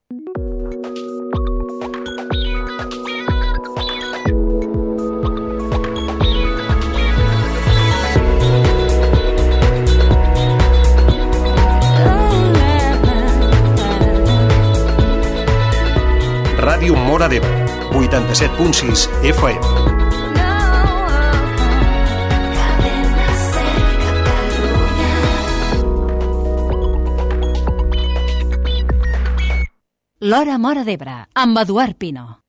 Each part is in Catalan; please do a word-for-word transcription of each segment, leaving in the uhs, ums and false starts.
Ràdio Móra d'Ebre, vuitanta-set punt sis F M. L'Hora Móra d'Ebre, amb Eduard Pino.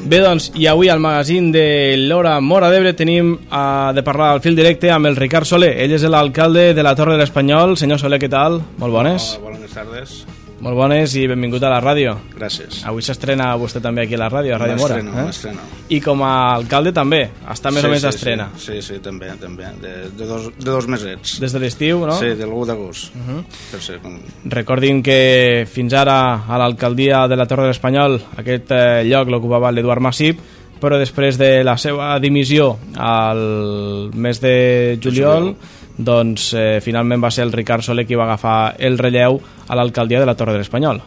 Bé, doncs, i avui al magazín de l'Hora Móra d'Ebre tenim uh, de parlar al fil directe amb el Ricard Soler. Ell és l'alcalde de la Torre de l'Espanyol. Senyor Soler, què tal? Molt bones. Hola, bones tardes. Molt bones i benvingut a la ràdio. Gràcies. Avui s'estrena vostè també aquí a la ràdio, a Ràdio Móra. M'estreno, m'estreno. I com a alcalde també, està més sí, o menys sí, d'estrena. Sí, sí, sí, també, també. De, de, dos, de dos mesets. Des de l'estiu, no? Sí, de l'u d'agost. Uh -huh. Per ser com... Recordin que fins ara a l'alcaldia de la Torre de l'Espanyol aquest eh, lloc l'ocupava l'Eduard Massip, però després de la seva dimissió al mes de juliol, doncs eh, finalment va ser el Ricard Soler qui va agafar el relleu a l'alcaldia de la Torre de l'Espanyol.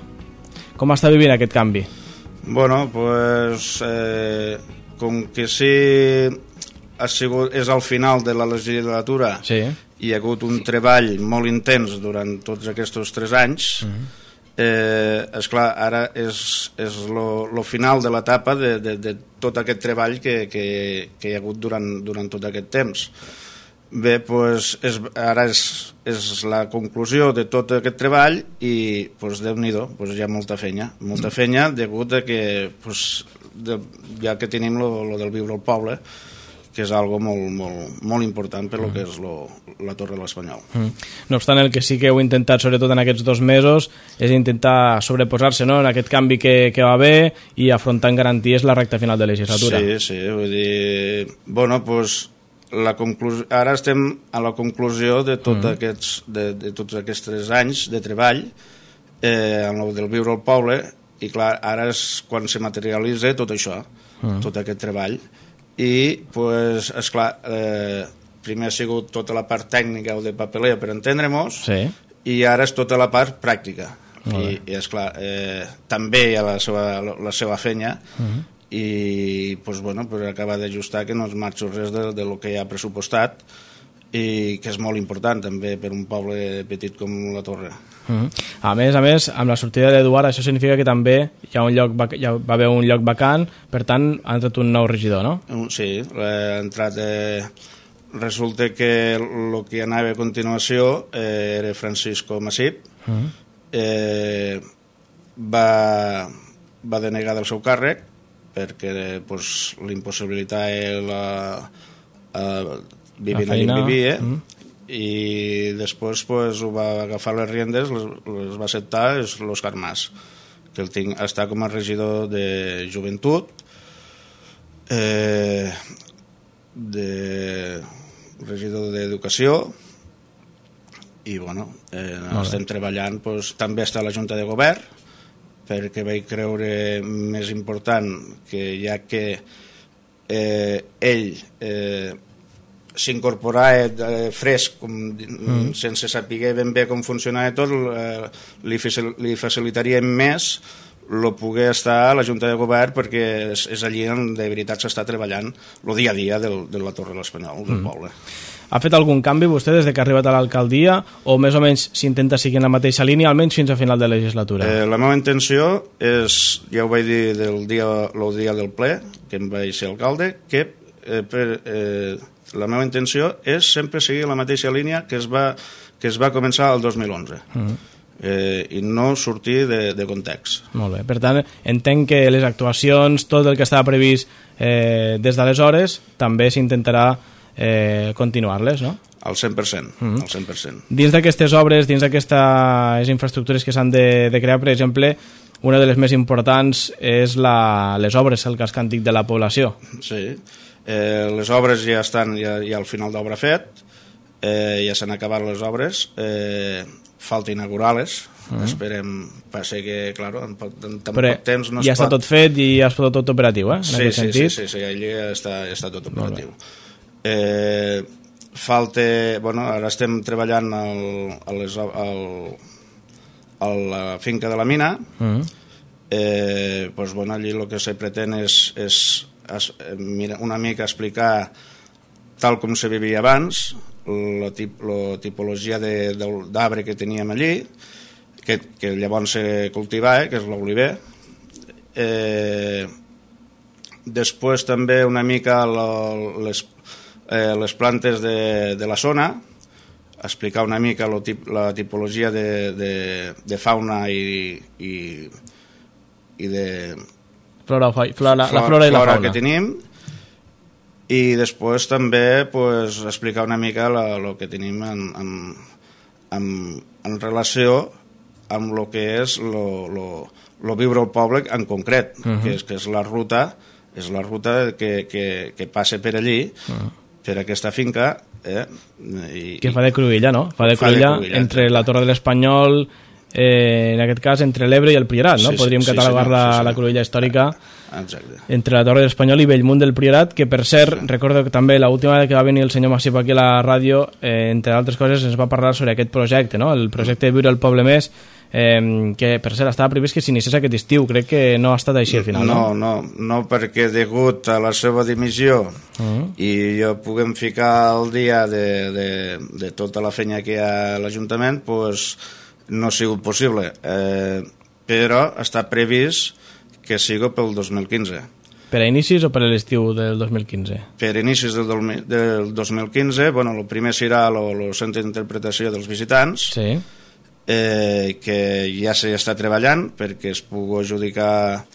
Com està vivint aquest canvi? Bueno, pues, eh, com que sí ha sigut, és al final de la legislatura, sí. Hi ha hagut un treball molt intens durant tots aquests tres anys. Uh-huh. Eh, esclar, ara és, és lo, lo final de l'etapa de, de, de tot aquest treball que, que, que hi ha hagut durant, durant tot aquest temps. Bé, pues, és, ara és, és la conclusió de tot aquest treball i, pues, Déu-n'hi-do, pues, hi ha molta feina, molta feina degut a que, pues, de, ja que tenim lo, lo del viure al poble, que és algo molt, molt, molt important per lo que és lo, la Torre de l'Espanyol. Mm. No obstant, el que sí que heu intentat, sobretot en aquests dos mesos, és intentar sobreposar-se, no?, en aquest canvi que, que va haver i afrontar en garanties la recta final de legislatura. Sí, sí, vull dir... Bueno, doncs... La conclusió, ara estem a la conclusió de, tot mm. aquests, de, de tots aquests tres anys de treball eh, en el del viure al poble, i clar, ara és quan se materialitza tot això, mm. tot aquest treball. I, pues, esclar, eh, primer ha sigut tota la part tècnica o de paperea per entendre-nos, sí. I ara és tota la part pràctica. I, i esclar, eh, també hi ha la seva, la seva feina, mm. i pues, bueno, pues, acaba d'ajustar que no es marxi res de, de lo que hi ha pressupostat i que és molt important també per un poble petit com la Torre. Uh-huh. A més, a més, amb la sortida de l'Eduard això significa que també hi ha un lloc, hi va haver un lloc vacant, per tant ha entrat un nou regidor, no? Sí, ha entrat... Eh, resulta que el que anava a continuació eh, era Francisco Massip, uh-huh. eh, va, va denegar del seu càrrec perquè pues, l'impossibilitat la, uh, vivint allà on vivia, mm. i després pues, ho va agafar les riendes, les, les va acceptar és l'Òscar Mas, que el tinc, està com a regidor de joventut, eh, de regidor d'educació, i bueno, eh, estem treballant, pues, també està a la Junta de Govern, perquè vaig creure més important que ja que eh, ell eh, s'incorporava eh, fresc, com, mm. sense saber ben bé com funcionava tot, eh, li, li facilitaria més el poder estar a la Junta de Govern perquè és, és allí on de veritat s'està treballant el dia a dia del, de la Torre de l'Espanyol, del mm. poble. Ha fet algun canvi vostè des que ha arribat a l'alcaldia o més o menys s'intenta seguir en la mateixa línia almenys fins a final de legislatura? Eh, la meva intenció és, ja ho vaig dir del dia, el dia del ple, que em vaig ser alcalde, que eh, per, eh, la meva intenció és sempre seguir la mateixa línia que es va, que es va començar el dos mil onze. Mm. Eh, i no sortir de, de context. Molt bé, per tant entenc que les actuacions, tot el que estava previst eh, des d'aleshores també s'intentarà eh, continuar-les, no? Al cent per cent, mm-hmm. al cent per cent. Dins d'aquestes obres, dins d'aquestes infraestructures que s'han de, de crear, per exemple, una de les més importants és la, les obres, el casc antic de la població. Sí, eh, les obres ja estan ja, ja al final d'obra fet, eh, ja s'han acabat les obres, eh, falta inaugurar-les, mm. esperem, passa que, clar, en, en tan Però poc temps no es ja pot... està tot fet i ja està tot operatiu, eh? En sí, aquest sí, sentit. sí, sí, sí, allí ja està, ja està tot operatiu. Eh, falta... Bueno, ara estem treballant al, a, les, al, a la finca de la mina. Mm. Eh, pues, bueno, allí el que se pretén és, és es, mira, una mica explicar tal com se vivia abans, la, tip, la tipologia d'arbre que teníem allí, que, que llavors se cultivava, que és l'oliver. Eh, després també una mica la, les, eh, les plantes de, de la zona, explicar una mica lo tip, la tipologia de, de, de fauna i, i, i de... Flora, flora, flora, la flora i la flora fauna que tenim, i després també pues, explicar una mica el que tenim en, en, en, en relació amb el que és el viure al poble en concret, uh -huh. que, és, que és la ruta, és la ruta que, que, que passa per allí, uh -huh. per aquesta finca. Eh? I, que fa de cruïlla, no? Fa de cruïlla, fa de cruïlla entre la Torre de l'Espanyol, eh, en aquest cas entre l'Ebre i el Priorat, no? Sí, Podríem sí, catalogar sí, la, sí, sí. la cruïlla històrica. Exacte. Entre la Torre de l'Espanyol i Bellmunt del Priorat, que per cert, sí. recordo que també l'última vegada que va venir el senyor Massip aquí a la ràdio, eh, entre altres coses ens va parlar sobre aquest projecte, no? El projecte de Viure el Poble Més, eh, que per cert estava previst que s'iniciés aquest estiu. Crec que no ha estat així al final, no? No, no, no perquè degut a la seva dimissió uh-huh. i jo puguem ficar al dia de, de, de tota la feina que hi ha a l'Ajuntament, pues, no ha sigut possible, eh, però està previst que sigui pel dos mil quinze. Per a inicis o per a l'estiu del dos mil quinze? Per a inicis del, del dos mil quinze, bueno, el primer serà el centre d'interpretació dels visitants, sí. eh, que ja s'està treballant perquè es pugui adjudicar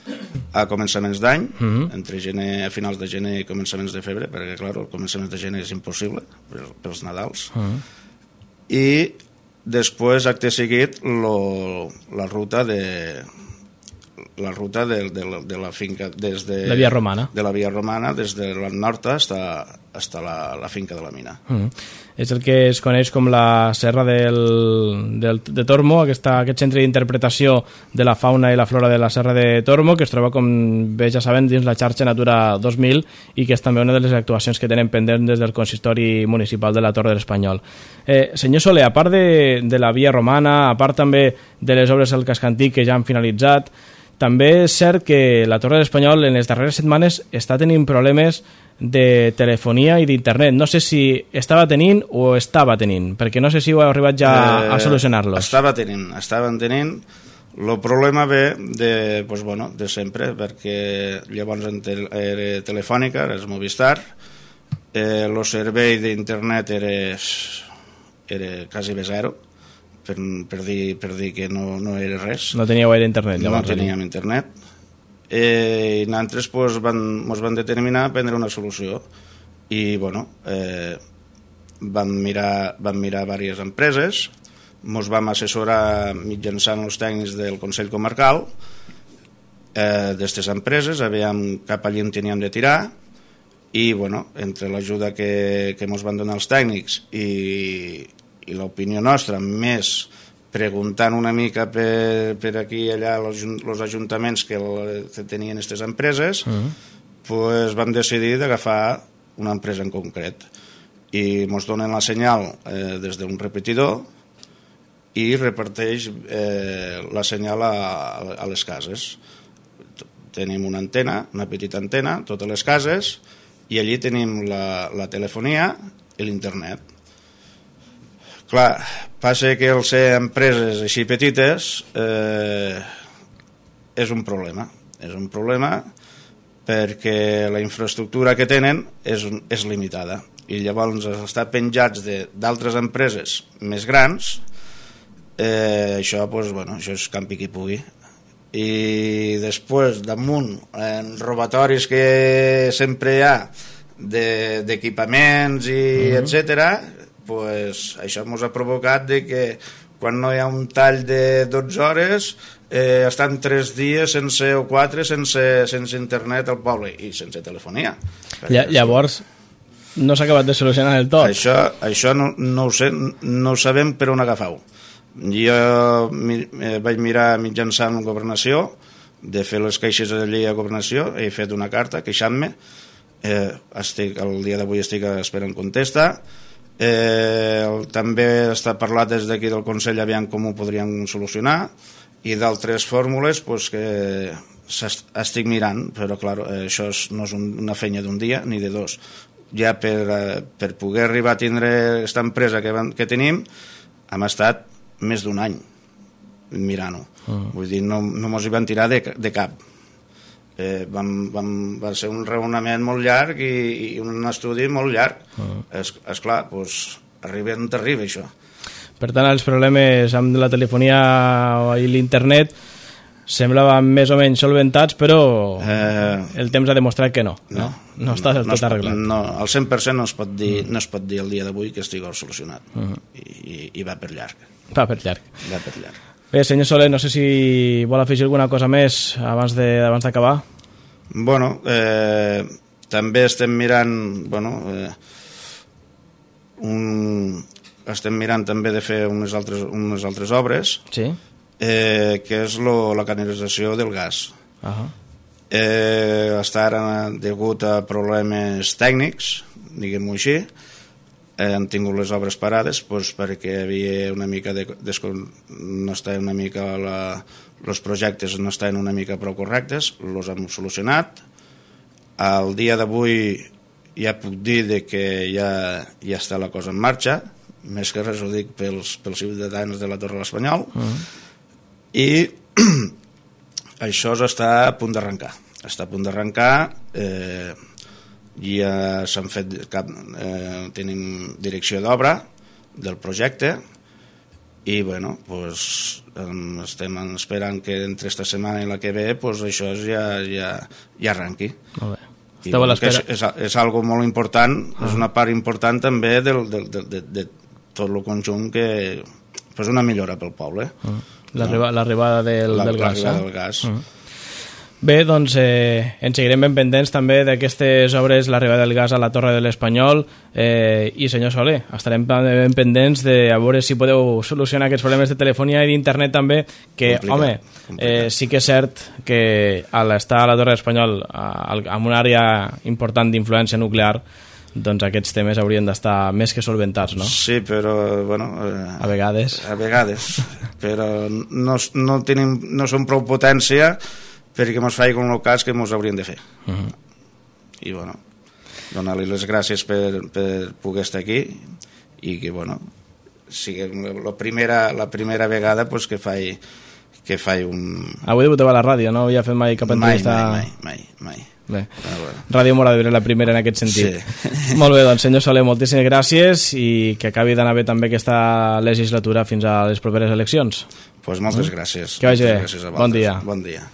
a començaments d'any, uh-huh. entre gener, a finals de gener i començaments de febrer, perquè, clar, el començaments de gener és impossible pels Nadals. Uh-huh. I després, acte seguit, lo, la ruta de la ruta de, de, la, de la finca des de la Via Romana, de la Via Romana des de la nord hasta, hasta la, la finca de la mina. Mm. És el que es coneix com la Serra del, del, de Tormo, aquesta, aquest centre d'interpretació de la fauna i la flora de la Serra de Tormo, que es troba, com bé ja sabem, dins la xarxa Natura dos mil i que és també una de les actuacions que tenen pendents des del consistori municipal de la Torre de l'Espanyol. Eh, senyor Soler, a part de, de la Via Romana, a part també de les obres del casc antic que ja han finalitzat, també és cert que la Torre de l'Espanyol en les darreres setmanes està tenint problemes de telefonia i d'internet. No sé si estava tenint o estava tenint, perquè no sé si heu arribat ja eh, a solucionar-los. Estava tenint, estaven tenint. El problema ve de, pues, bueno, de sempre, perquè llavors era Telefònica, era Movistar, el eh, servei d'internet era, era quasi bé zero, Per, per, dir, per dir que no, no era res. No teníeu gaire internet, llavors. No teníem internet. Eh, I nosaltres pues, van, ens van determinar a prendre una solució. I, bueno, eh, vam mirar, vam mirar diverses empreses, ens vam assessorar mitjançant els tècnics del Consell Comarcal eh, d'aquestes empreses, aviam cap allí en teníem de tirar, i, bueno, entre l'ajuda que, que ens van donar els tècnics i i l'opinió nostra, més preguntant una mica per, per aquí i allà els ajuntaments que, el, que tenien aquestes empreses, uh-huh. pues vam decidir d'agafar una empresa en concret. I ens donen la senyal eh, des d'un repetidor i reparteix eh, la senyal a, a les cases. Tenim una antena, una petita antena, totes les cases, i allí tenim la, la telefonia i l'internet. Clar, passa que el ser empreses així petites eh, és un problema. És un problema perquè la infraestructura que tenen és, és limitada. I llavors estar penjats d'altres empreses més grans, eh, això, pues, bueno, això és campi qui pugui. I després, damunt, en robatoris que sempre hi ha d'equipaments i uh-huh. etcètera, pues, això ens ha provocat de que quan no hi ha un tall de dotze hores eh, estan tres dies sense, o quatre sense, sense internet al poble i sense telefonia. Ll llavors no s'ha acabat de solucionar del tot. Això, això no, no ho sé, no ho sabem per on agafar-ho. Jo mi, eh, vaig mirar mitjançant la governació de fer les queixes allí a governació, he fet una carta queixant-me eh, estic, el dia d'avui estic esperant contesta. Eh, el, també està parlat des d'aquí del Consell aviam com ho podríem solucionar, i d'altres fórmules pues, que estic mirant, però clar, això no és una feina d'un dia ni de dos. Ja per, per poder arribar a tindre aquesta empresa que, que tenim hem estat més d'un any mirant-ho. Uh-huh. Vull dir, no, no mos hi van tirar de, de cap. Eh, vam, vam, va ser un raonament molt llarg i, i un estudi molt llarg. Uh-huh. És, esclar, doncs, arriba on t'arriba això. Per tant, els problemes amb la telefonia i l'internet semblaven més o menys solventats, però eh, el temps ha demostrat que no. No, no, no està del tot no arreglat. No, al cent per cent no es pot dir, uh-huh. no es pot dir el dia d'avui que estigui solucionat. Uh-huh. I, i, I va per llarg. Va per llarg. Va per llarg. Bé, senyor Soler, no sé si vol afegir alguna cosa més abans d'acabar. Bueno, eh, també estem mirant, bueno, eh, un, estem mirant també de fer unes altres, unes altres obres, sí. eh, que és lo, la canalització del gas. Uh-huh. Eh, està ara degut a problemes tècnics, diguem-ho així. Eh, han tingut les obres parades pues, perquè havia una mica de, no estaven una mica la, els projectes no estaven una mica prou correctes, els hem solucionat. Al dia d'avui ja puc dir de que ja, ja està la cosa en marxa, més que res ho dic pels, pels ciutadans de la Torre de l'Espanyol. Uh-huh. I això està a punt d'arrencar. Està a punt d'arrencar. Eh, ja s'han fet cap, eh, tenim direcció d'obra del projecte i bueno, pues, estem esperant que entre esta setmana i la que ve pues, això ja, ja, ja arrenqui. Molt bé. I, bueno, és, és, és algo molt important, ah. és una part important també del, del, de, de, de tot el conjunt que pues, una millora pel poble. Ah. L'arribada del, la, del gas. L'arribada del gas. Ah. Bé, doncs eh, ens seguirem ben pendents també d'aquestes obres, l'arribada del gas a la Torre de l'Espanyol, eh, i senyor Soler, estarem ben pendents de a veure si podeu solucionar aquests problemes de telefonia i d'internet també, que, complicat, home, complicat. Eh, sí que és cert que a l'estar a la Torre de l'Espanyol en una àrea important d'influència nuclear, doncs aquests temes haurien d'estar més que solventats, no? Sí, però, bueno... Eh, a vegades. A vegades, però no, no, tenim, no som prou potència perquè mos faci com el cas que mos haurien de fer. Uh-huh. I, bueno, donar-li les gràcies per, per poder estar aquí i que, bueno, sigui la primera, la primera vegada pues, que faci que faci un... Avui debutava a la ràdio, no havia fet mai cap entrevista... Mai, mai, mai, mai. Bé, ah, bueno. Ràdio Mora d'Ebre la primera en aquest sentit. Sí. Molt bé, doncs senyor Soler, moltíssimes gràcies i que acabi d'anar bé també aquesta legislatura fins a les properes eleccions. Pues moltes gràcies. Que vagi bé. Gràcies a bon dia. Bon dia.